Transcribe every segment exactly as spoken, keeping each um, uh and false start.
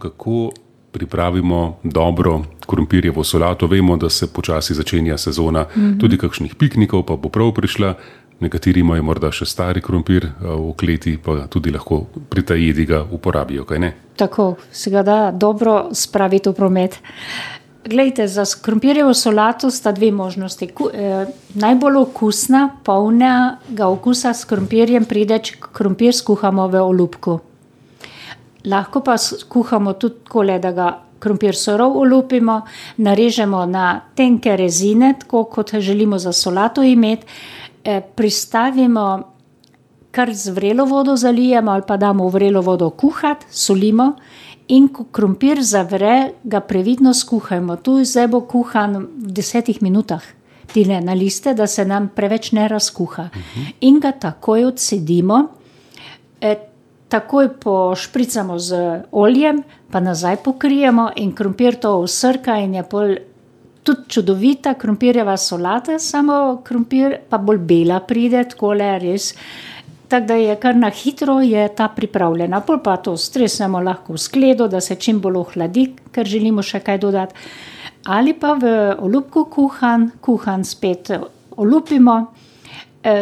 Kako pripravimo dobro krompirjevo solato? Vemo, da se počasi začenja sezona, mm-hmm. tudi kakšnih piknikov pa bo prav prišla. Nekateri imajo morda še stari krompir v kleti, pa tudi lahko pri ta jedi ga uporabijo, kaj ne? Tako, se ga da dobro spraviti v promet. Glejte, za krompirjevo solato sta dve možnosti. Ku, eh, najbolj okusna, polnega okusa s krompirjem pride, če krompir skuhamo v olupku. Lahko pa skuhamo tudi takole, da ga krompir surov olupimo, narežemo na tenke rezine, tako kot želimo za solato imeti, eh, pristavimo, kar z vrelo vodo zalijemo ali pa damo v vrelo vodo kuhati, solimo. In ko krompir zavre, ga previdno skuhajmo. Tu zdaj bo kuhan v desetih minutah. Tine na liste, da se nam preveč ne razkuha. Uh-huh. In ga takoj odsedimo, e, takoj pošpricamo z oljem, pa nazaj pokrijemo in krompir to vsrka in je pol tudi čudovita krompirjeva solata, samo krompir pa bolj bela pride, takole res. Tako da je kar na hitro je ta pripravljena. Pol pa to stresemo lahko v skledo, da se čim bolj ohladi, ker želimo še kaj dodati. Ali pa v olupku kuhan, kuhan spet olupimo. E,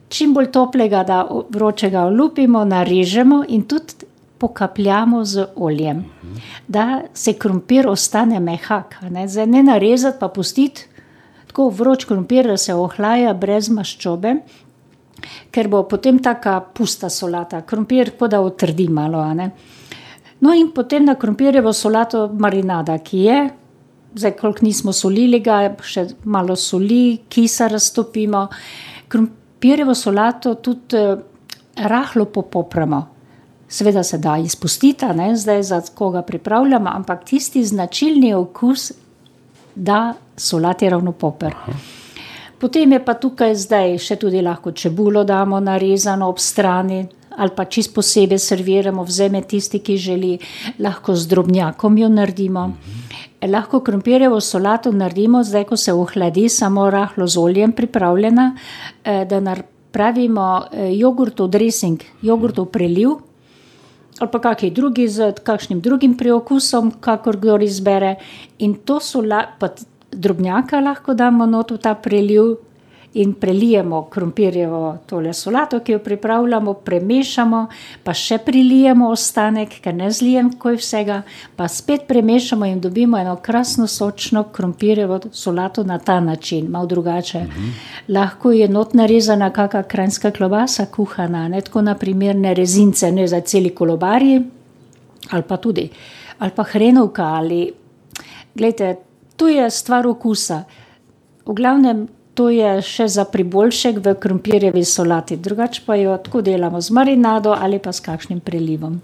čim bolj toplega, da vročega olupimo, narežemo in tudi pokapljamo z oljem. Da se krompir ostane mehak. Ne? Zdaj ne narezati pa pustiti tako vroč krompir, da se ohlaja brez maščobe, ker bo potem taka pusta solata. Krompir kot da otrdi malo. A ne? No in potem na krompirjevo solato marinada, ki je, zdaj koliko nismo solili ga, še malo soli, kisa raztopimo. Krompirjevo solato tudi eh, rahlo popopramo. Seveda se da izpustiti, ne? Zdaj za koga pripravljamo, ampak tisti značilni okus da solati ravno poper. Potem je pa tukaj zdaj še tudi lahko čebulo damo narezano ob strani ali pa čisto posebej serviramo, vzeme tisti, ki želi, lahko z drobnjakom jo naredimo. Mm-hmm. Lahko krompirjevo solato naredimo, zdaj ko se ohladi, samo rahlo z oljem pripravljena, da napravimo jogurtov dressing, jogurtov preliv ali pa kakšen drugi z kakšnim drugim priokusom, kakor kdor izbere. In to solato, drobnjaka lahko damo not v ta preliv in prelijemo krompirjevo tole solato, ki jo pripravljamo, premešamo, pa še prilijemo ostanek, ker ne zlijem kaj vsega, pa spet premešamo in dobimo eno krasno sočno krompirjevo solato na ta način, malo drugače. Mm-hmm. Lahko je not narezana kakšna kranjska klobasa kuhana, ne tako na primer ne rezince, ne za celi kolobarji, ali pa tudi, ali pa hrenovka, ali, glejte, to je stvar okusa. V glavnem, to je še za priboljšek v krompirjevi solati. Drugače pa jo tako delamo z marinado ali pa s kakšnim prelivom.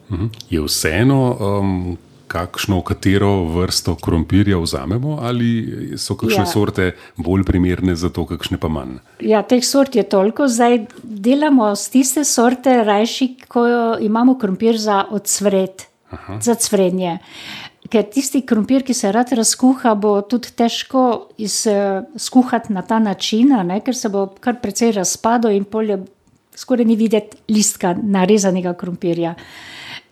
Je vseeno, um, kakšno, katero vrsto krompirja vzamemo ali so kakšne ja. sorte bolj primerne za to, kakšne pa manj? Ja, teh sort je toliko. Zdaj delamo z tiste sorte rajši, ko imamo krompir za odsvret, Aha. za cvrenje. Ker tisti krompir, ki se rad razkuha, bo tudi težko iz, skuhati na ta način, ne? Ker se bo kar precej razpadel in polje skoraj ni videti listka narezanega krompirja.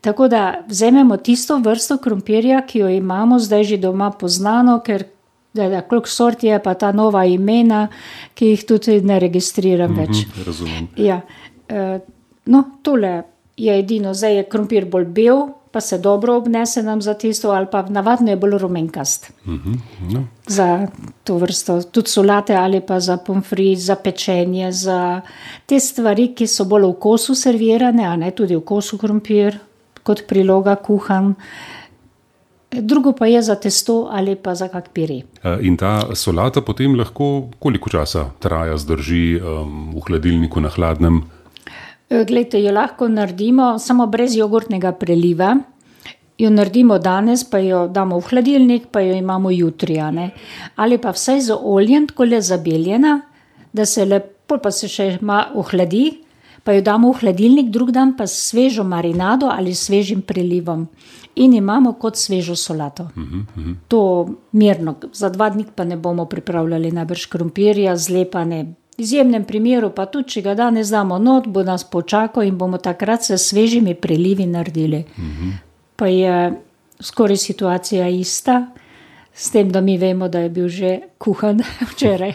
Tako da vzememo tisto vrsto krompirja, ki jo imamo zdaj že doma poznano, ker da, da, koliko sort je pa ta nova imena, ki jih tudi ne registriram več. Mm-hmm, razumem. Ja. E, no, tole je edino, zdaj je krompir bolj bel, pa se dobro obnese nam za tisto, ali pa navadno je bolj rumenkast. Mm-hmm, no. Za to vrsto, tudi solate ali pa za pomfrit, za pečenje, za te stvari, ki so bolj v kosu servirane, a ne tudi v kosu krompir, kot priloga kuhan. Drugo pa je za testo ali pa za kak pire. In ta solata potem lahko koliko časa traja, zdrži um, v hladilniku na hladnem? Glejte, jo lahko naredimo samo brez jogurtnega preliva. Jo naredimo danes, pa jo damo v hladilnik, pa jo imamo jutri. Ne? Ali pa vsaj z oljem, tako le zabeljena, da se lepo pa se še ma ohladi, pa jo damo v hladilnik, drug dan pa s svežo marinado ali svežim prelivom. In imamo kot svežo solato. Mm-hmm. To mirno. Za dva dni pa ne bomo pripravljali najbrž krompirja, zlepane. V izjemnem primeru pa tudi, če ga danes damo not, bo nas počakal in bomo takrat se svežimi prelivi naredili. Mm-hmm. Pa je skoraj situacija ista, s tem, da mi vemo, da je bil že kuhan včeraj.